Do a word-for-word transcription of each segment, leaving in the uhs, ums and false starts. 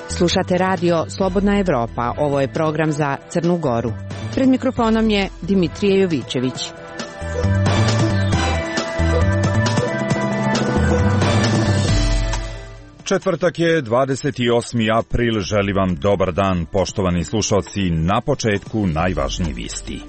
Slušate radio Slobodna Evropa. Ovo je program za Crnu Goru. Pred mikrofonom je Dimitrije Jovićević. Četvrtak je dvadeset osmi april. Želim vam dobar dan, poštovani slušalci. Na početku najvažniji vijesti.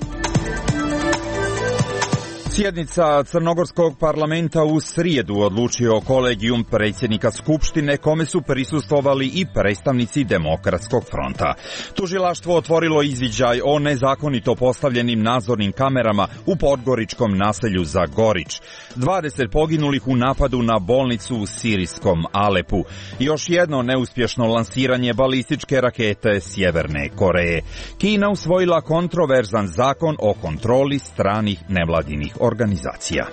Sjednica Crnogorskog parlamenta u srijedu odlučio kolegijum predsjednika Skupštine, kome su prisustvovali i predstavnici Demokratskog fronta. Tužilaštvo otvorilo izviđaj o nezakonito postavljenim nadzornim kamerama u podgoričkom naselju Zagorić. dvadeset poginulih u napadu na bolnicu u sirijskom Alepu. Još jedno neuspješno lansiranje balističke rakete Sjeverne Koreje. Kina usvojila kontroverzan zakon o kontroli stranih nevladinih organizacija.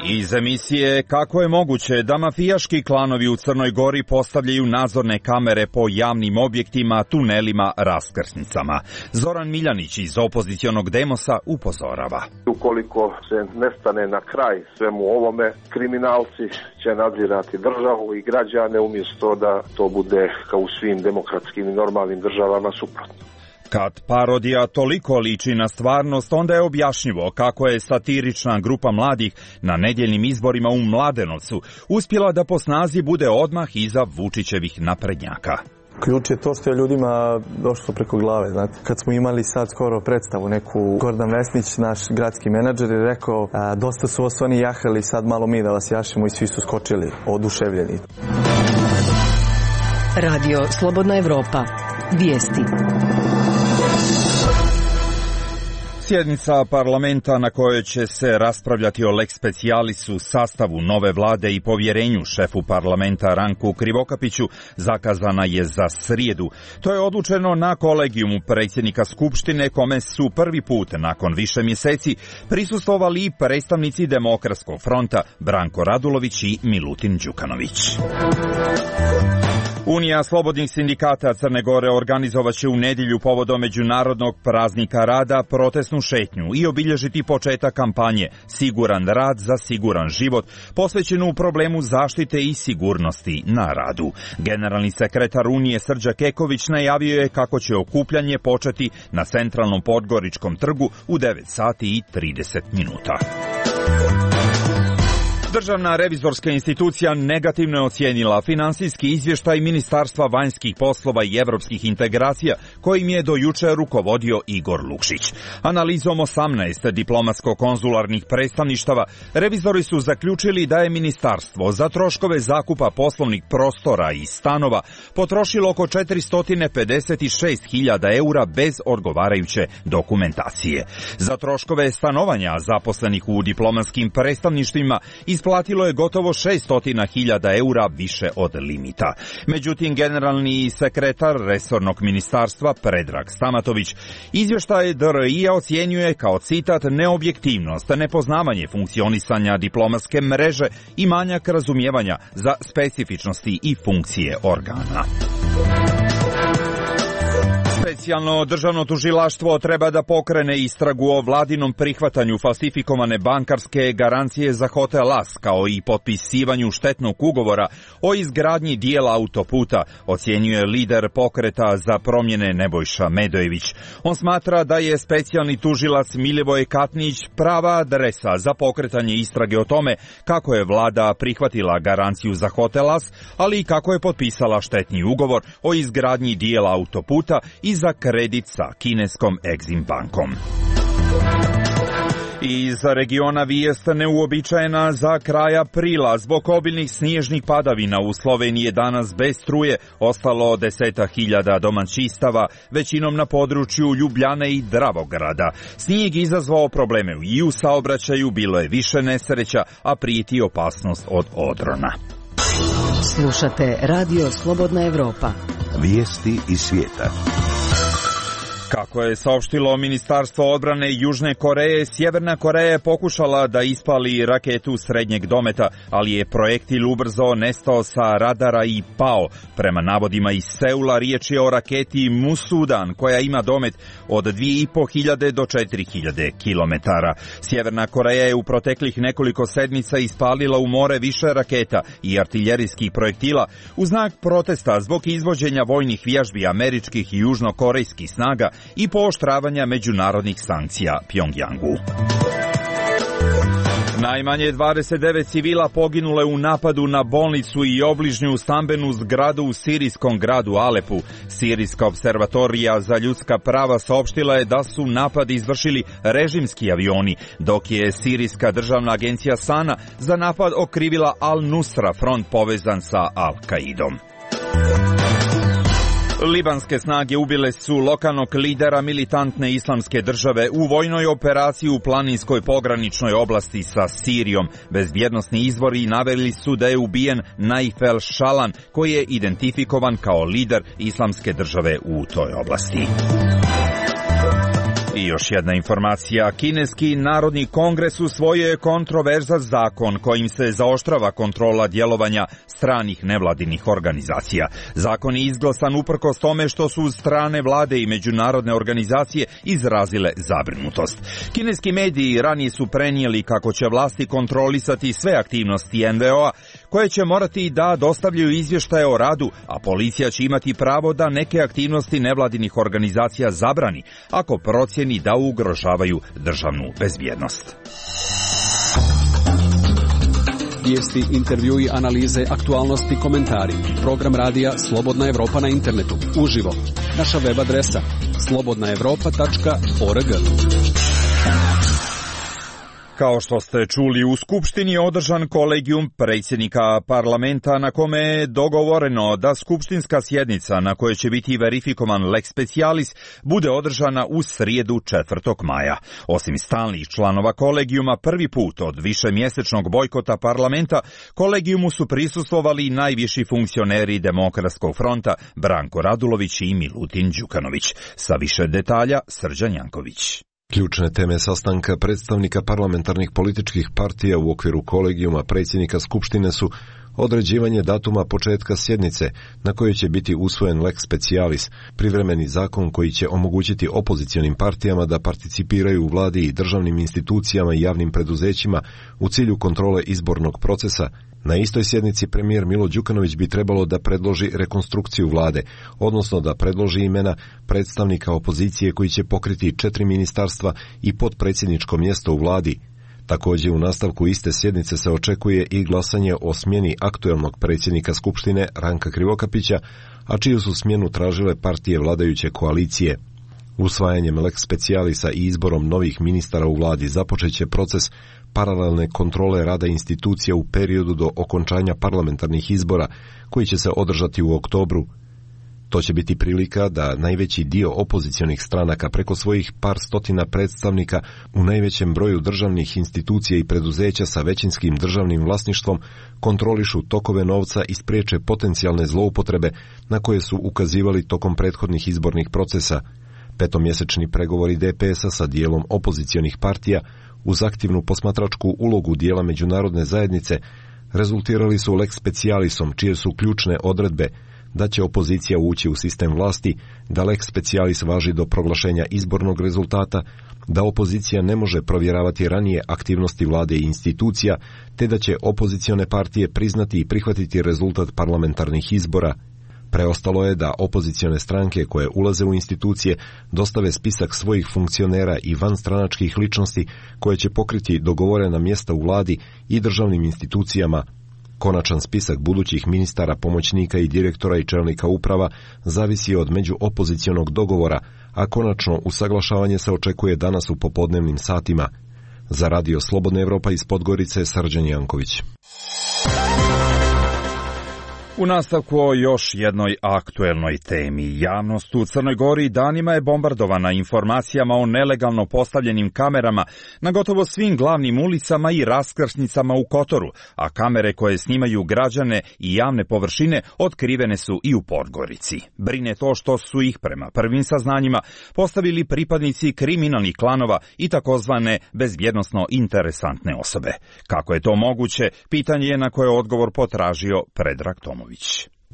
Iz emisije Kako je moguće da mafijaški klanovi u Crnoj Gori postavljaju nadzorne kamere po javnim objektima, tunelima, raskrsnicama. Zoran Miljanić iz opozicionog Demosa upozorava. Ukoliko se ne stane na kraj svemu ovome, kriminalci će nadzirati državu i građane umjesto da to bude kao u svim demokratskim i normalnim državama suprotno. Kad parodija toliko liči na stvarnost, onda je objašnjivo kako je satirična grupa mladih na nedjeljnim izborima u Mladenovcu uspjela da po snazi bude odmah iza Vučićevih naprednjaka. Ključ je to što je ljudima došlo preko glave. Znate, kad smo imali sad skoro predstavu neku, Gordan Vesnić, naš gradski menadžer, je rekao a, dosta su osvani jahali, sad malo mi da vas jašimo, i svi su skočili, oduševljeni. Radio Slobodna Evropa. Vijesti. Sjednica parlamenta na kojoj će se raspravljati o lex specialisu, sastavu nove vlade i povjerenju šefu parlamenta Ranku Krivokapiću zakazana je za srijedu. To je odlučeno na kolegijumu predsjednika Skupštine, kome su prvi put nakon više mjeseci prisustvovali i predstavnici Demokratskog fronta Branko Radulović i Milutin Đukanović. Unija slobodnih sindikata Crne Gore organizovaće u nedjelju povodom Međunarodnog praznika rada protestnu šetnju i obilježiti početak kampanje Siguran rad za siguran život, posvećenu problemu zaštite i sigurnosti na radu. Generalni sekretar Unije Srđa Keković najavio je kako će okupljanje početi na centralnom Podgoričkom trgu u devet sati i trideset minuta. Državna revizorska institucija negativno je ocijenila finansijski izvještaj Ministarstva vanjskih poslova i europskih integracija, kojim je do jučer rukovodio Igor Lukšić. Analizom osamnaest diplomatsko-konzularnih predstavništava, revizori su zaključili da je ministarstvo za troškove zakupa poslovnih prostora i stanova potrošilo oko četiristo pedeset šest hiljada eura bez odgovarajuće dokumentacije. Za troškove stanovanja zaposlenih u diplomatskim predstavništvima isplatilo je gotovo šesto hiljada eura više od limita. Međutim, generalni sekretar resornog ministarstva Predrag Stamatović izvještaj D R I-a ocjenjuje kao citat neobjektivnost, nepoznavanje funkcionisanja diplomatske mreže i manjak razumijevanja za specifičnosti i funkcije organa. Specijalno državno tužilaštvo treba da pokrene istragu o vladinom prihvatanju falsifikovane bankarske garancije za Hotel As, kao i potpisivanju štetnog ugovora o izgradnji dijela autoputa, ocjenjuje lider pokreta za promjene Nebojša Medojević. On smatra da je specijalni tužilac Milivoj Katnić prava adresa za pokretanje istrage o tome kako je vlada prihvatila garanciju za Hotel As, ali i kako je potpisala štetni ugovor o izgradnji dijela autoputa i za kredit sa kineskom Exim bankom. Iz regiona vijest neuobičajena za kraj aprila. Zbog obilnih snježnih padavina u Sloveniji je danas bez struje ostalo deseta hiljada domaćinstava, većinom na području Ljubljane i Dravograda. Snijeg izazvao probleme i u saobraćaju, bilo je više nesreća, a prijeti opasnost od odrona. Slušate Radio Slobodna Evropa. Vijesti iz svijeta. Kako je saopštilo Ministarstvo odbrane Južne Koreje, Sjeverna Koreja je pokušala da ispali raketu srednjeg dometa, ali je projektil ubrzo nestao sa radara i pao. Prema navodima iz Seula, riječ je o raketi Musudan, koja ima domet od dvije i po hiljade do četiri hiljade kilometara. Sjeverna Koreja je u proteklih nekoliko sedmica ispalila u more više raketa i artiljerijskih projektila u znak protesta zbog izvođenja vojnih vježbi američkih i južnokorejskih snaga i pooštravanja međunarodnih sankcija Pjongjangu. Najmanje dvadeset devet civila poginule u napadu na bolnicu i obližnju stambenu zgradu u sirijskom gradu Alepu. Sirijska observatorija za ljudska prava saopštila je da su napad izvršili režimski avioni, dok je sirijska državna agencija Sana za napad okrivila Al-Nusra, front povezan sa Al-Kaidom. Libanske snage ubile su lokalnog lidera militantne islamske države u vojnoj operaciji u planinskoj pograničnoj oblasti sa Sirijom. Bezbjednosni izvori naveli su da je ubijen Naif el-Šalan, koji je identifikovan kao lider islamske države u toj oblasti. I još jedna informacija. Kineski Narodni kongres usvojio je kontroverzan zakon kojim se zaoštrava kontrola djelovanja stranih nevladinih organizacija. Zakon je izglasan uprkos tome što su strane vlade i međunarodne organizacije izrazile zabrinutost. Kineski mediji ranije su prenijeli kako će vlasti kontrolisati sve aktivnosti en ve o-a, koje će morati da dostavljaju izvještaje o radu, a policija će imati pravo da neke aktivnosti nevladinih organizacija zabrani ako procjeni da ugrožavaju državnu bezbjednost. Vijesti, intervjui, analize, aktualnosti, komentari. Program radija Slobodna Evropa na internetu. Uživo. Naša web adresa slobodna evropa tačka org. Kao što ste čuli, u Skupštini je održan kolegijum predsjednika parlamenta na kome je dogovoreno da skupštinska sjednica na kojoj će biti verifikovan lex specialis bude održana u srijedu četvrtog maja. Osim stalnih članova kolegijuma, prvi put od višemjesečnog bojkota parlamenta, kolegijumu su prisustvovali i najviši funkcioneri Demokratskog fronta Branko Radulović i Milutin Đukanović. Sa više detalja Srđan Janković. Ključne teme sastanka predstavnika parlamentarnih političkih partija u okviru kolegijuma predsjednika Skupštine su određivanje datuma početka sjednice na kojoj će biti usvojen lex specialis, privremeni zakon koji će omogućiti opozicionim partijama da participiraju u vladi i državnim institucijama i javnim preduzećima u cilju kontrole izbornog procesa. Na istoj sjednici premijer Milo Đukanović bi trebalo da predloži rekonstrukciju vlade, odnosno da predloži imena predstavnika opozicije koji će pokriti četiri ministarstva i potpredsjedničko mjesto u vladi. Također u nastavku iste sjednice se očekuje i glasanje o smjeni aktuelnog predsjednika Skupštine Ranka Krivokapića, a čiju su smjenu tražile partije vladajuće koalicije. Usvajanjem lex specialisa i izborom novih ministara u vladi započeće proces paralelne kontrole rada institucija u periodu do okončanja parlamentarnih izbora koji će se održati u oktobru. To će biti prilika da najveći dio opozicionih stranaka preko svojih par stotina predstavnika u najvećem broju državnih institucija i preduzeća sa većinskim državnim vlasništvom kontrolišu tokove novca i spriječe potencijalne zloupotrebe na koje su ukazivali tokom prethodnih izbornih procesa. Petomjesečni pregovori de pe es-a sa dijelom opozicionih partija uz aktivnu posmatračku ulogu dijela međunarodne zajednice rezultirali su lex specialisom, čije su ključne odredbe da će opozicija ući u sistem vlasti, da lex specialis važi do proglašenja izbornog rezultata, da opozicija ne može provjeravati ranije aktivnosti vlade i institucija, te da će opozicione partije priznati i prihvatiti rezultat parlamentarnih izbora. Preostalo je da opozicione stranke koje ulaze u institucije dostave spisak svojih funkcionera i vanstranačkih ličnosti koje će pokriti dogovorena mjesta u vladi i državnim institucijama. Konačan spisak budućih ministara, pomoćnika i direktora i čelnika uprava zavisi od međuopozicionog dogovora, a konačno usaglašavanje se očekuje danas u popodnevnim satima. Za radio Slobodna Evropa iz Podgorice, Srđan Janković. U nastavku o još jednoj aktuelnoj temi. Javnost u Crnoj Gori danima je bombardovana informacijama o nelegalno postavljenim kamerama na gotovo svim glavnim ulicama i raskrsnicama u Kotoru, a kamere koje snimaju građane i javne površine otkrivene su i u Podgorici. Brine to što su ih, prema prvim saznanjima, postavili pripadnici kriminalnih klanova i takozvane bezbjednosno interesantne osobe. Kako je to moguće, pitanje je na koje odgovor potražio Predrag Tomović.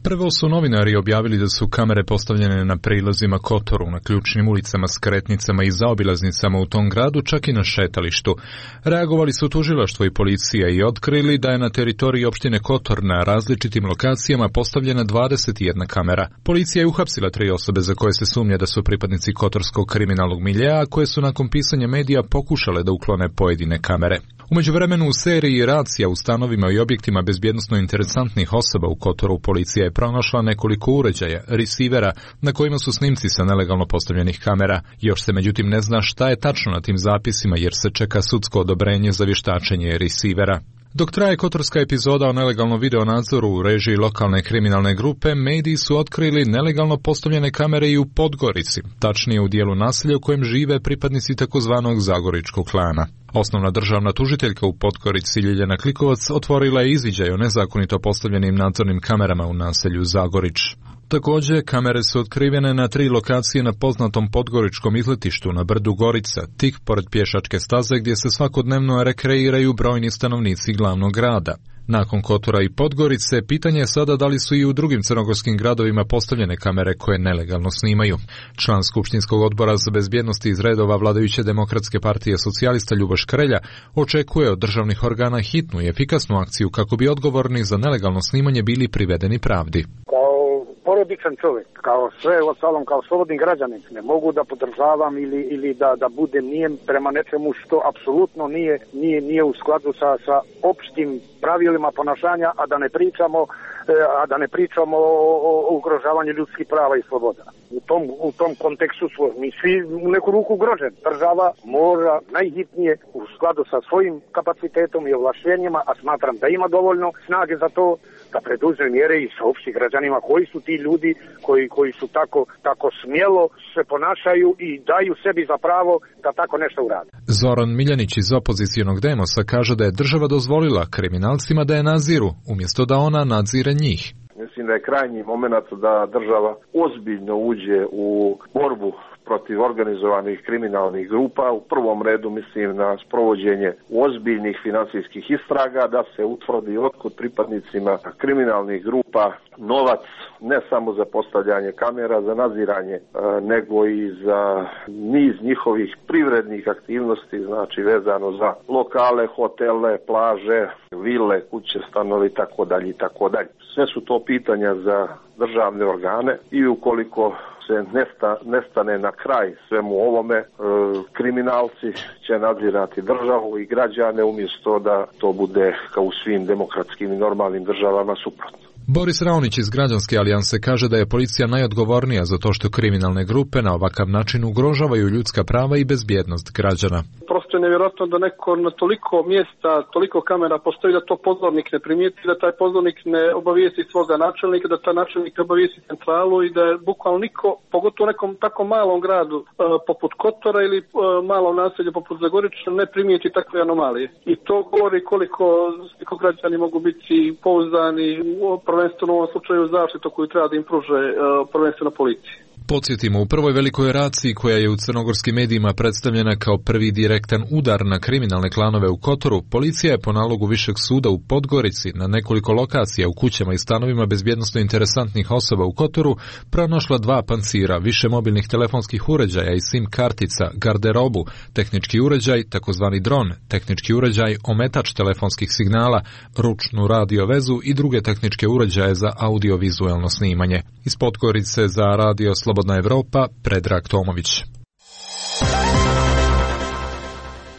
Prvo su novinari objavili da su kamere postavljene na prilazima Kotoru, na ključnim ulicama, skretnicama i zaobilaznicama u tom gradu, čak i na šetalištu. Reagovali su tužilaštvo i policija i otkrili da je na teritoriji opštine Kotor na različitim lokacijama postavljena dvadeset jedna kamera. Policija je uhapsila tri osobe za koje se sumnja da su pripadnici kotorskog kriminalnog miljea, koje su nakon pisanja medija pokušale da uklone pojedine kamere. U međuvremenu u seriji racija u stanovima i objektima bezbjednosno interesantnih osoba u Kotoru policija je pronašla nekoliko uređaja, resivera, na kojima su snimci sa nelegalno postavljenih kamera. Još se međutim ne zna šta je tačno na tim zapisima jer se čeka sudsko odobrenje za vještačenje resivera. Dok traje kotorska epizoda o nelegalnom videonadzoru u režiji lokalne kriminalne grupe, mediji su otkrili nelegalno postavljene kamere i u Podgorici, tačnije u dijelu naselja u kojem žive pripadnici takozvanog Zagoričkog klana. Osnovna državna tužiteljka u Podgorici Ljiljana Klikovac otvorila je izviđaj o nezakonito postavljenim nadzornim kamerama u naselju Zagorić. Također, kamere su otkrivene na tri lokacije na poznatom podgoričkom izletištu na brdu Gorica, tik pored pješačke staze gdje se svakodnevno rekreiraju brojni stanovnici glavnog grada. Nakon Kotora i Podgorice, pitanje je sada da li su i u drugim crnogorskim gradovima postavljene kamere koje nelegalno snimaju. Član Skupštinskog odbora za bezbjednost iz redova vladajuće Demokratske partije socijalista Ljuboš Krelja očekuje od državnih organa hitnu i efikasnu akciju kako bi odgovorni za nelegalno snimanje bili privedeni pravdi. Porodičan čovjek, kao sve ostalom, kao slobodni građanin, ne mogu da podržavam ili, ili da, da budem nijem prema nečemu što apsolutno nije, nije, nije u skladu sa, sa opštim pravilima ponašanja, a da ne pričamo, a da ne pričamo o, o, o ugrožavanju ljudskih prava i sloboda. U tom, u tom kontekstu smo mi svi u neku ruku ugroženi. Država mora najhitnije u skladu sa svojim kapacitetom i ovlaštenjima, a smatram da ima dovoljno snage za to, da preduzme mjere i saopšti građanima koji su ti ljudi koji, koji su tako, tako smjelo se ponašaju i daju sebi za pravo da tako nešto urade. Zoran Miljanić iz opozicionog Demosa kaže da je država dozvolila kriminalcima da je nadziru, umjesto da ona nadzire njih. Mislim da je krajnji moment da država ozbiljno uđe u borbu protiv organizovanih kriminalnih grupa. U prvom redu mislim na sprovođenje ozbiljnih financijskih istraga, da se utvrdi otkud pripadnicima kriminalnih grupa novac, ne samo za postavljanje kamera, za nadziranje, nego i za niz njihovih privrednih aktivnosti, znači vezano za lokale, hotele, plaže, vile, kuće, stanovi i tako dalje i tako dalje. Sve su to pitanja za državne organe i ukoliko se nesta, nestane na kraj svemu ovome, e, kriminalci će nadzirati državu i građane umjesto da to bude kao u svim demokratskim i normalnim državama suprotno. Boris Raonić iz Građanske alijanse kaže da je policija najodgovornija za to što kriminalne grupe na ovakav način ugrožavaju ljudska prava i bezbjednost građana. Prosto je nevjerojatno da neko na toliko mjesta, toliko kamera postoji da to pozornik ne primijeti, da taj pozornik ne obavijesti svoga načelnika, da taj načelnik obavijesti centralu i da je bukvalno niko, pogotovo u nekom tako malom gradu e, poput Kotora ili e, malom naselju poput Zagorića, ne primijeti takve anomalije. I to govori koliko, koliko građani mogu biti pouzdani u prvenstveno u ovom slučaju zaštitu koju treba da im pruže uh, prvenstveno policiji. Podsjetimo, u prvoj velikoj raciji koja je u crnogorskim medijima predstavljena kao prvi direktan udar na kriminalne klanove u Kotoru, policija je po nalogu Višeg suda u Podgorici na nekoliko lokacija u kućama i stanovima bezbjednosno interesantnih osoba u Kotoru pronašla dva pancira, više mobilnih telefonskih uređaja i sim kartica, garderobu, tehnički uređaj, takozvani dron, tehnički uređaj, ometač telefonskih signala, ručnu radio vezu i druge tehničke uređaje za audiovizualno snimanje. Iz Podgorice za radio Slobodna Evropa, Predrag Tomović.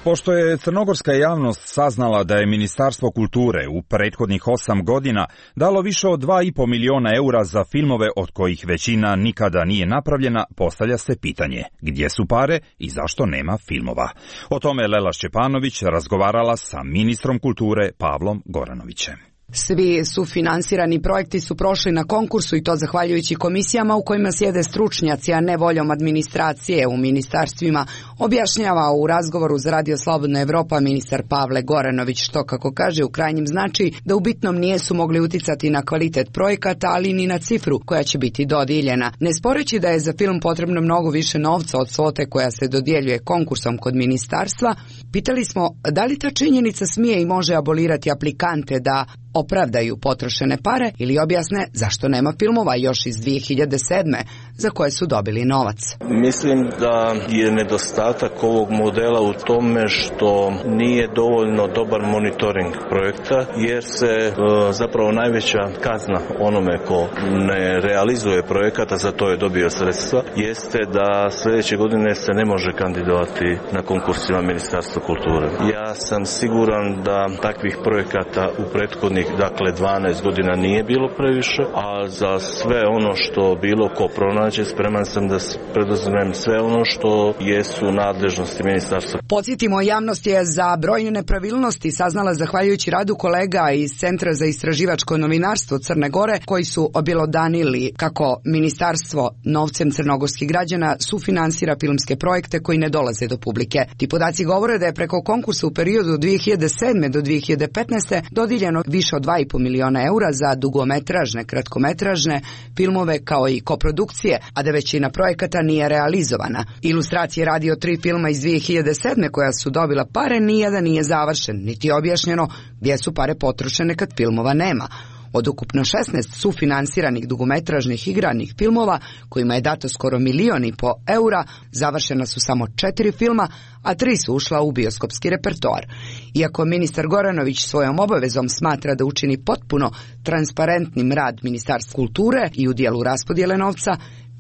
Pošto je crnogorska javnost saznala da je Ministarstvo kulture u prethodnih osam godina dalo više od dva i po miliona eura za filmove od kojih većina nikada nije napravljena, postavlja se pitanje gdje su pare i zašto nema filmova. O tome Lela Šćepanović razgovarala sa ministrom kulture Pavlom Goranovićem. Svi sufinansirani projekti su prošli na konkursu i to zahvaljujući komisijama u kojima sjede stručnjaci, a ne voljom administracije u ministarstvima, objašnjava u razgovoru za Radio Slobodna Evropa ministar Pavle Goranović, što, kako kaže, u krajnjem znači da u bitnom nijesu mogli uticati na kvalitet projekata, ali ni na cifru koja će biti dodijeljena. Ne sporeći da je za film potrebno mnogo više novca od svote koja se dodjeljuje konkursom kod ministarstva, pitali smo da li ta činjenica smije i može abolirati aplikante da opravdaju potrošene pare ili objasne zašto nema filmova još iz dvije hiljade sedme za koje su dobili novac. Mislim da je nedostatak ovog modela u tome što nije dovoljno dobar monitoring projekta, jer se e, zapravo najveća kazna onome ko ne realizuje projekata, za to je dobio sredstva, jeste da sljedeće godine se ne može kandidovati na konkursima Ministarstva kulture. Ja sam siguran da takvih projekata u prethodnih dakle dvanaest godina nije bilo previše, a za sve ono što bilo ko pronađe spreman sam da preduzmem sve ono što jesu nadležnosti ministarstva. Podsjetimo, javnost je za brojne nepravilnosti saznala zahvaljujući radu kolega iz Centra za istraživačko novinarstvo Crne Gore, koji su objelodanili kako ministarstvo novcem crnogorskih građana sufinansira filmske projekte koji ne dolaze do publike. Ti podaci govore da je preko konkursa u periodu od dvije hiljade sedme do dvije hiljade petnaeste dodijeljeno više od dva i po miliona eura za dugometražne, kratkometražne filmove kao i koprodukcije, a da većina projekata nije realizovana. Ilustracije Radio tri filma iz dvije hiljade sedme koja su dobila pare nijedan nije završen, niti objašnjeno gdje su pare potrošene kad filmova nema. Od ukupno šesnaest sufinansiranih dugometražnih igranih filmova, kojima je dato skoro milijon i po eura, završena su samo četiri filma, a tri su ušla u bioskopski repertoar. Iako ministar Goranović svojom obavezom smatra da učini potpuno transparentnim rad Ministarstva kulture i u dijelu raspodjele novca,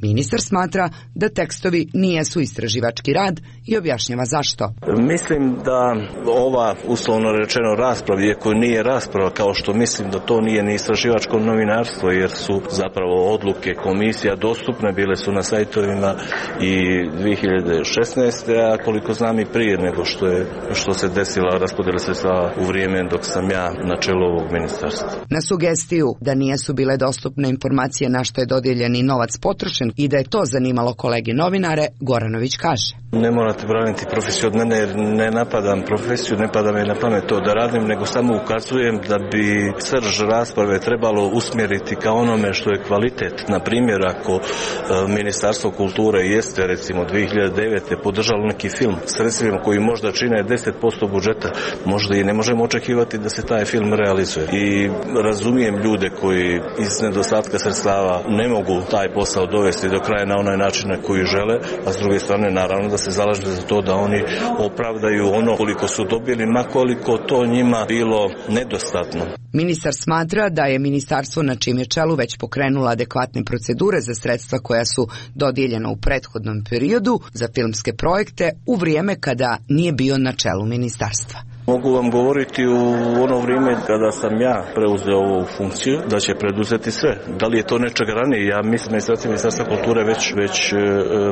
ministar smatra da tekstovi nijesu istraživački rad i objašnjava zašto. Mislim da ova, uslovno rečeno, rasprava, iako nije rasprava, kao što mislim da to nije ni istraživačko novinarstvo, jer su zapravo odluke komisija dostupne, bile su na sajtovima i dvije hiljade šesnaeste. a koliko znam i prije nego što je što se desila raspodjela sredstava u vrijeme dok sam ja na čelu ovog ministarstva. Na sugestiju da nijesu bile dostupne informacije na što je dodijeljeni novac potrošen i da je to zanimalo kolege novinare, Goranović kaže: Ne morate braniti profesiju od mene, jer ne napadam profesiju, ne pada me na pamet to da radim, nego samo ukazujem da bi srž rasprave trebalo usmjeriti ka onome što je kvalitet. Na primjer, ako e, Ministarstvo kulture jeste recimo dvije hiljade devete podržalo neki film sredstvima koji možda čine deset posto budžeta, možda i ne možemo očekivati da se taj film realizuje. I razumijem ljude koji iz nedostatka sredstava ne mogu taj posao dovesti do kraja na onaj način na koji žele, a s druge strane naravno da se zalaže za to da oni opravdaju ono koliko su dobili, ma koliko to njima bilo nedostatno. Ministar smatra da je ministarstvo na čijem je čelu već pokrenulo adekvatne procedure za sredstva koja su dodijeljena u prethodnom periodu za filmske projekte u vrijeme kada nije bio na čelu ministarstva. Mogu vam govoriti u ono vrijeme kada sam ja preuzeo ovu funkciju da će preduzeti sve. Da li je to nečega ranije? Ja mislim da je Ministarstva kulture već, već e,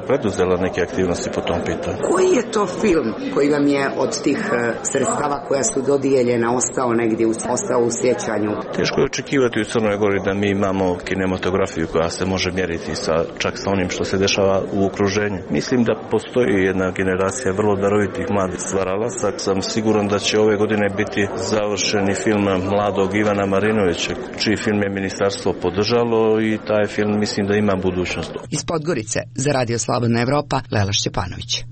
preduzela neke aktivnosti po tom pitanju. Koji je to film koji vam je od tih e, sredstava koja su dodijeljena ostao negdje, ostao u sjećanju? Teško je očekivati u Crnoj Gori da mi imamo kinematografiju koja se može mjeriti sa, čak sa onim što se dešava u okruženju. Mislim da postoji jedna generacija vrlo darovitih mladih stvaralaca. Sam siguran da će ove godine biti završeni film mladog Ivana Marinovića, čiji film je ministarstvo podržalo i taj film mislim da ima budućnost. Iz Podgorice za Radio Slobodna Evropa, Lela Šćepanović.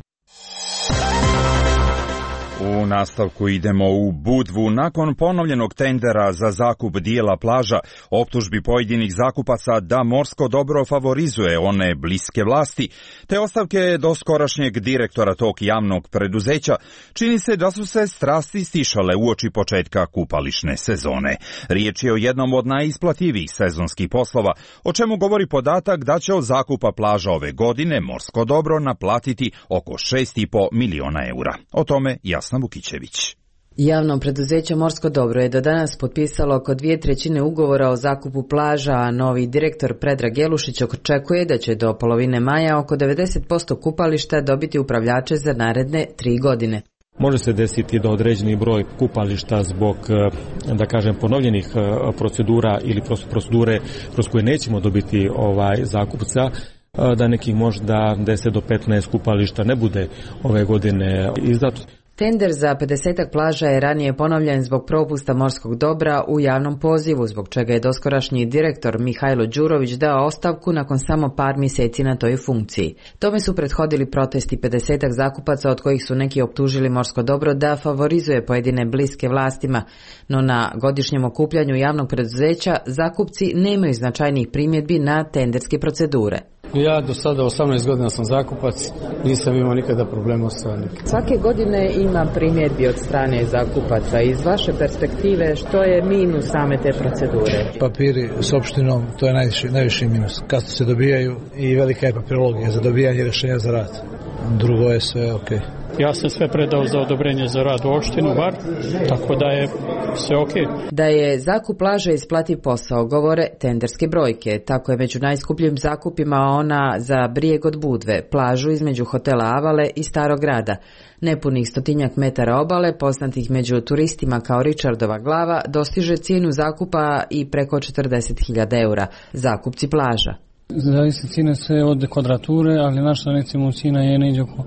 U nastavku idemo u Budvu. Nakon ponovljenog tendera za zakup dijela plaža, optužbi pojedinih zakupaca da morsko dobro favorizuje one bliske vlasti, te ostavke doskorašnjeg direktora tog javnog preduzeća, čini se da su se strasti stišale uoči početka kupališne sezone. Riječ je o jednom od najisplativijih sezonskih poslova, o čemu govori podatak da će od zakupa plaža ove godine morsko dobro naplatiti oko šest i po miliona eura. O tome Jasna Vukićević. Javno preduzeće Morsko dobro je do danas potpisalo oko dvije trećine ugovora o zakupu plaža, a novi direktor Predrag Jelušić očekuje da će do polovine maja oko devedeset posto kupališta dobiti upravljače za naredne tri godine. Može se desiti da određeni broj kupališta zbog, da kažem, ponovljenih procedura ili procedure kroz koje nećemo dobiti ovaj zakupca, da nekih možda deset do petnaest kupališta ne bude ove godine izdato. Tender za pedesetak plaža je ranije ponovljen zbog propusta morskog dobra u javnom pozivu, zbog čega je doskorašnji direktor Mihajlo Đurović dao ostavku nakon samo par mjeseci na toj funkciji. Tome su prethodili protesti pedesetak zakupaca, od kojih su neki optužili morsko dobro da favorizuje pojedine bliske vlastima, no na godišnjem okupljanju javnog preduzeća zakupci nemaju značajnih primjedbi na tenderske procedure. Ja do sada osamnaest godina sam zakupac, nisam imao nikada problema sa nikim. Svake godine ima primjedbi od strane zakupaca. Iz vaše perspektive, što je minus same te procedure? Papiri s opštinom, to je najviši, najviši minus. Kasno se dobijaju i velika je papirologija za dobijanje rješenja za rad. Drugo je sve ok. Ja sam sve predao za odobrenje za rad u opštinu, bar, tako da je sve ok. Da je zakup plaže isplativ posao, govore tenderske brojke. Tako je među najskupljim zakupima ona za Brijeg od Budve, plažu između hotela Avale i Starog grada. Nepunih stotinjak metara obale, poznatih među turistima kao Richardova glava, dostiže cijenu zakupa i preko četrdeset hiljada eura. Zakupci plaža. Zavisi cijene sve od kvadrature, ali naša recimo cijena je neđe oko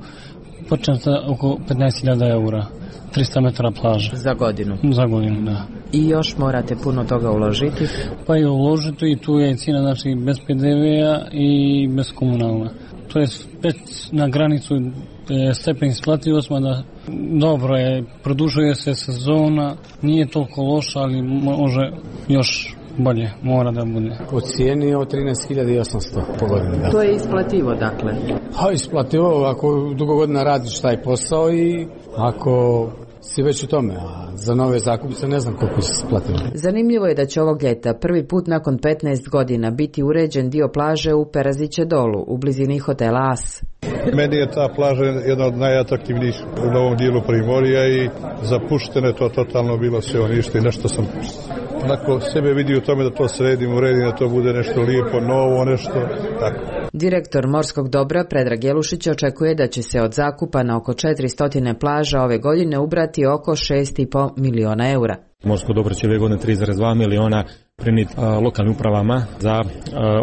početa oko petnaest hiljada eura, trista metara plaža. Za godinu? Za godinu, da. I još morate puno toga uložiti? Pa i uložiti i tu je cijena, znači bez pe de vea i bez komunalna. To je spet na granicu e, stepen isplativosti, da dobro je, produžuje se sezona, nije toliko loša, ali može još bolje, mora da bude. Po cijeni od trinaest hiljada osamsto po godini. Da. To je isplativo, dakle? Ha, isplativo ako dugo godina radiš taj posao i ako si već u tome, a za nove zakupce ne znam koliko se isplativo. Zanimljivo je da će ovog ljeta prvi put nakon petnaest godina biti uređen dio plaže u Peraziće dolu, u blizini hotela As. Meni je ta plaža jedna od najatraktivnijih u novom dijelu Primorja i zapuštene to totalno bilo sve unište i nešto sam onako sebe vidi u tome da to sredim, uredim, da to bude nešto lijepo, novo, nešto tako. Direktor morskog dobra Predrag Jelušić očekuje da će se od zakupa na oko četiristo plaža ove godine ubrati oko šest i po miliona eura. Morsko dobro će ove godine tri zarez dva miliona prenijeti lokalnim upravama za a,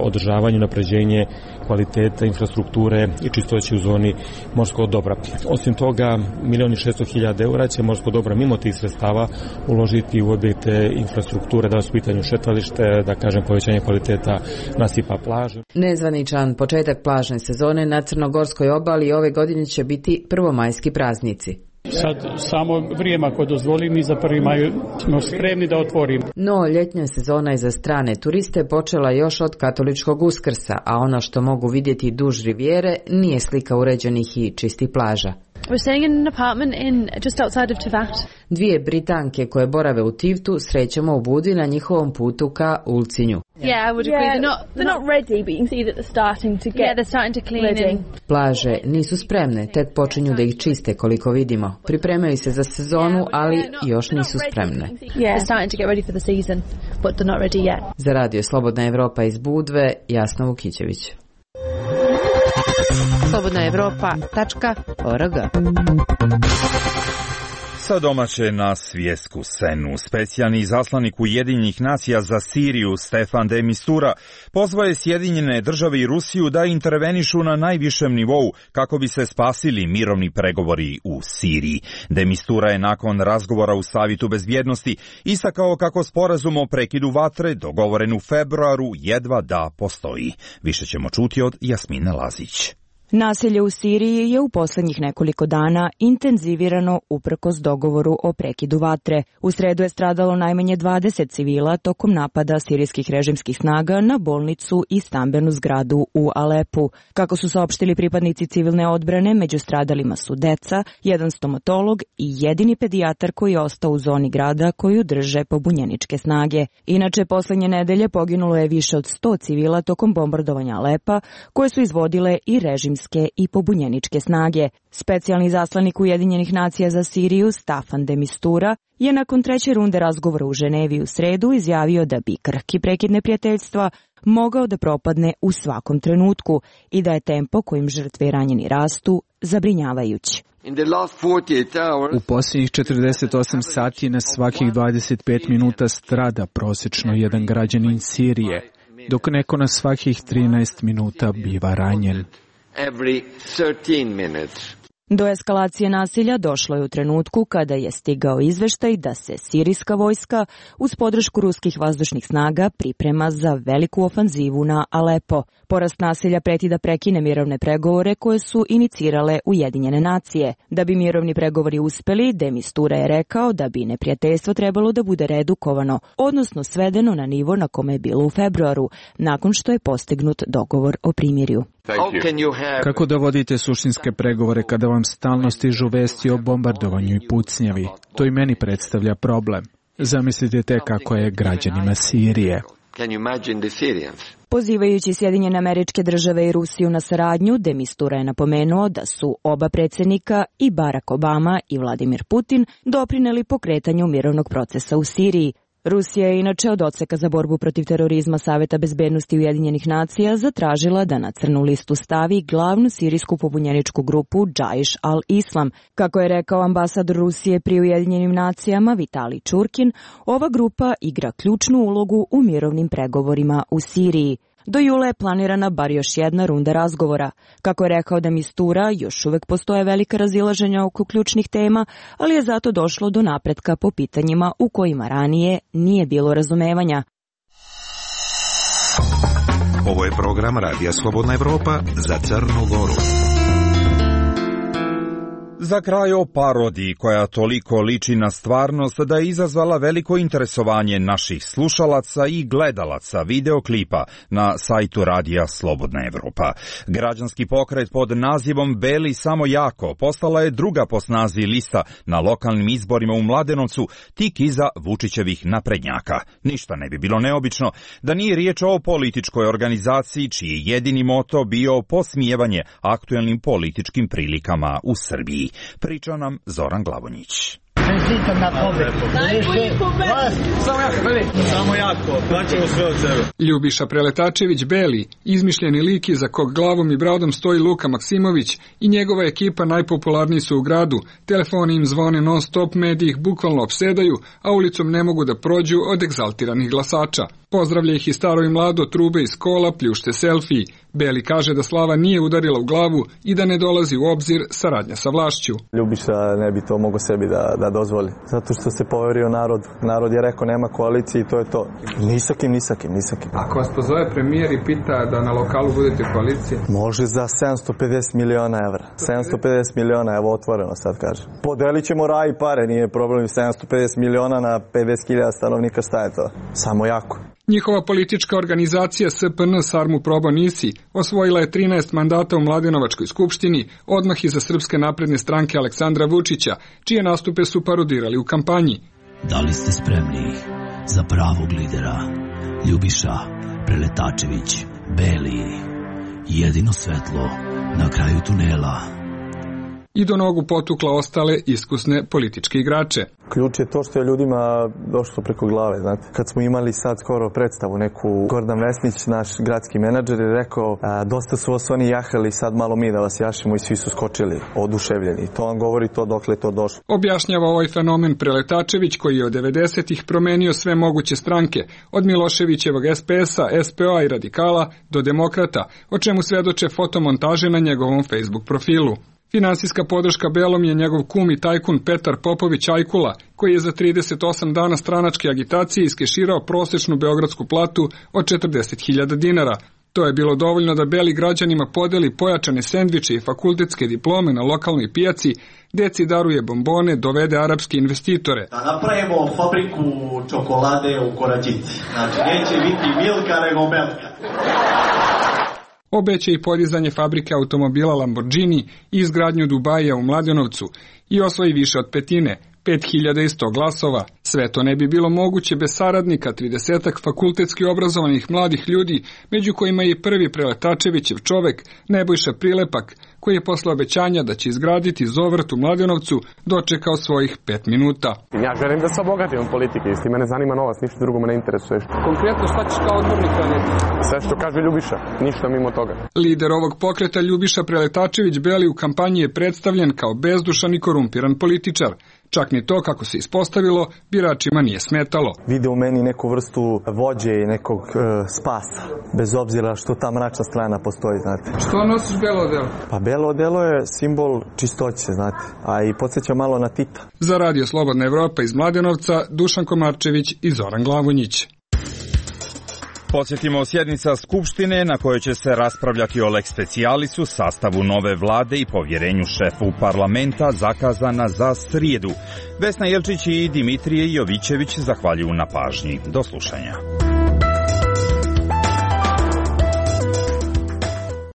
održavanje, napređenje kvaliteta infrastrukture i čistoće u zoni morskog dobra. Osim toga, milion i šesto hiljada eura će morsko dobro mimo tih sredstava uložiti u objekte infrastrukture, da su u pitanju šetalište, da kažem povećanje kvaliteta nasipa plaže. Nezvaničan početak plažne sezone na Crnogorskoj obali ove godine će biti prvomajski praznici. Sad samo vrijeme ako dozvoli, mi za prvi maj smo spremni da otvorimo. No, ljetnja sezona je za strane turiste počela još od katoličkog Uskrsa, a ono što mogu vidjeti duž rivijere nije slika uređenih i čistih plaža. We're staying in an apartment in just outside of Tivat. Dvije Britanke koje borave u Tivtu srećemo u Budi na njihovom putu ka Ulcinju. Yeah, I would agree. Yeah, they're not they're not ready, but you can see that they're starting to get Yeah, they're starting to clean ready. in. Plaže nisu spremne, tek počinju da ih čiste koliko vidimo. Pripremaju se za sezonu, ali još nisu spremne. Yeah, they're starting to get ready for the season, but they're not ready yet. Za radio Slobodna Evropa iz Budve, Jasna Vukićević. slobodna evropa tačka org. Sa domaće na svjetsku scenu, specijalni izaslanik Ujedinjenih nacija za Siriju Stefan de Mistura pozvao je Sjedinjene države i Rusiju da intervenišu na najvišem nivou kako bi se spasili mirovni pregovori u Siriji. De Mistura je nakon razgovora u Savjetu bezbjednosti istakao kako sporazum o prekidu vatre dogovoren u februaru jedva da postoji. Više ćemo čuti od Jasmine Lazić. Nasilje u Siriji je u posljednjih nekoliko dana intenzivirano uprkos dogovoru o prekidu vatre. U sredu je stradalo najmanje dvadeset civila tokom napada sirijskih režimskih snaga na bolnicu i stambenu zgradu u Alepu. Kako su saopštili pripadnici civilne odbrane, među stradalima su deca, jedan stomatolog i jedini pedijatar koji je ostao u zoni grada koju drže pobunjeničke snage. Inače, posljednje nedelje poginulo je više od sto civila tokom bombardovanja Alepa, koje su izvodile i režimske i pobunjeničke snage. Specijalni zaslanik Ujedinjenih nacija za Siriju Staffan de Mistura je nakon treće runde razgovora u Ženevi u sredu izjavio da bi krhki prekid neprijateljstva mogao da propadne u svakom trenutku i da je tempo kojim žrtve i ranjeni rastu zabrinjavajući. U posljednjih četrdeset osam sati na svakih dvadeset pet minuta strada prosječno jedan građanin Sirije, dok neko na svakih trinaest minuta biva ranjen. Do eskalacije nasilja došlo je u trenutku kada je stigao izveštaj da se sirijska vojska uz podršku ruskih vazdušnih snaga priprema za veliku ofanzivu na Alepo. Porast nasilja preti da prekine mirovne pregovore koje su inicirale Ujedinjene nacije. Da bi mirovni pregovori uspeli, de Mistura je rekao da bi neprijateljstvo trebalo da bude redukovano, odnosno svedeno na nivo na kome je bilo u februaru, nakon što je postignut dogovor o primirju. Kako da vodite suštinske pregovore kada vam stalno stižu vesti o bombardovanju i pucnjavi? To i meni predstavlja problem. Zamislite te kako je građanima Sirije. Pozivajući Sjedinjene Američke Države i Rusiju na saradnju, de Mistura je napomenuo da su oba predsjednika, i Barack Obama i Vladimir Putin, doprineli pokretanju mirovnog procesa u Siriji. Rusija je inače od odseka za borbu protiv terorizma Saveta bezbednosti Ujedinjenih nacija zatražila da na crnu listu stavi glavnu sirijsku pobunjeničku grupu Džaiš al-Islam. Kako je rekao ambasador Rusije pri Ujedinjenim nacijama Vitali Čurkin, ova grupa igra ključnu ulogu u mirovnim pregovorima u Siriji. Do jula je planirana bar još jedna runda razgovora. Kako je rekao de Mistura, još uvek postoje velika razilaženja oko ključnih tema, ali je zato došlo do napretka po pitanjima u kojima ranije nije bilo razumevanja. Ovo je program Radija Slobodna Evropa za Crnu Goru. Za kraj o parodiji koja toliko liči na stvarnost da je izazvala veliko interesovanje naših slušalaca i gledalaca videoklipa na sajtu Radija Slobodna Evropa. Građanski pokret pod nazivom Beli samo jako postala je druga po snazi lista na lokalnim izborima u Mladenovcu, tik iza Vučićevih naprednjaka. Ništa ne bi bilo neobično da nije riječ o političkoj organizaciji čiji je jedini moto bio posmijevanje aktuelnim političkim prilikama u Srbiji. Priča nam Zoran Glavonjić. Čestitam na pobedu. Samo jako, veli. Samo jako, daćemo sve od sebe. Ljubiša Preletačević Beli, izmišljeni lik iza kog glavom i bradom stoji Luka Maksimović i njegova ekipa najpopularniji su u gradu. Telefoni im zvone non stop, mediji ih bukvalno opsedaju, a ulicom ne mogu da prođu od egzaltiranih glasača. Pozdravlja ih i staro i mlado, trube iz kola, pljušte selfiji. Beli kaže da slava nije udarila u glavu i da ne dolazi u obzir saradnja sa vlašću. Ljubiša ne bi to mogao sebi da, da dozvoli. Zato što se poverio narod. Narod je rekao nema koalicije i to je to. Ni sa kim, ni sa kim, ni sa kim. Ako vas pozove premijer i pita da na lokalu budete koalicije? Može za sedamsto pedeset miliona evra. sedamsto pedeset miliona, evo otvoreno sad kaže. Podelit ćemo raj i pare, nije problem. sedamsto pedeset miliona na pedeset hiljada stanovnika, šta je to? Samo jako. Njihova politička organizacija S P N Sarmu Probo Nisi osvojila je trinaest mandata u Mladenovačkoj skupštini, odmah iza Srpske napredne stranke Aleksandra Vučića, čije nastupe su parodirali u kampanji. Da li ste spremni za pravog lidera? Ljubiša Preletačević Beli, jedino svetlo na kraju tunela. I do nogu potukla ostale iskusne političke igrače. Ključ je to što je ljudima došlo preko glave, znate. Kad smo imali sad skoro predstavu neku, Gordan Vesnić, naš gradski menadžer, je rekao a, dosta su vas oni jahali, sad malo mi da vas jašimo, i svi su skočili, oduševljeni. To vam govori to dokle je to došlo. Objašnjava ovaj fenomen Preletačević, koji je od devedesetih promenio sve moguće stranke, od Miloševićevog S P S-a, S P O-a i Radikala do Demokrata, o čemu svedoče fotomontaže na njegovom Facebook profilu. Finansijska podrška Belom je njegov kum i tajkun Petar Popović Ajkula, koji je za trideset osam dana stranačke agitacije iskeširao prosječnu beogradsku platu od četrdeset hiljada dinara. To je bilo dovoljno da Beli građanima podeli pojačane sendviče i fakultetske diplome na lokalnoj pijaci, deci daruje bombone, dovede arapske investitore. Da napravimo fabriku čokolade u Korađici. Znači, neće biti Milka nego Melka. Obeća i podizanje fabrike automobila Lamborghini i izgradnju Dubaija u Mladenovcu i osvoji više od petine, pet hiljada sto glasova. Sve to ne bi bilo moguće bez saradnika tridesetak fakultetski obrazovanih mladih ljudi, među kojima je i prvi Preletačevićev čovek, Nebojša Prilepak, koji je posle obećanja da će izgraditi zovrt u Mladenovcu dočekao svojih pet minuta. Ja želim da se obogatim od politike, isti mene zanima novac, ništa drugo me ne interesuje. Konkretno šta ćeš kao odbornik raditi? Sve što kaže Ljubiša, ništa mimo toga. Lider ovog pokreta Ljubiša Preletačević Beli u kampanji je predstavljen kao bezdušan i korumpiran političar. Čak ni to, kako se ispostavilo, biračima nije smetalo. Vide u meni neku vrstu vođe i nekog e, spasa, bez obzira što ta mračna strana postoji, znate. Što nosiš belo odelo? Pa belo odelo je simbol čistoće, znate, a i podsjeća malo na Tita. Za Radio Slobodna Evropa iz Mladenovca, Dušan Komarčević i Zoran Glavonjić. Podsjetimo, sjednica Skupštine na kojoj će se raspravljati o lex specialisu, sastavu nove vlade i povjerenju šefu parlamenta zakazana za srijedu. Vesna Jelčić i Dimitrije Jovićević zahvaljuju na pažnji. Do slušanja.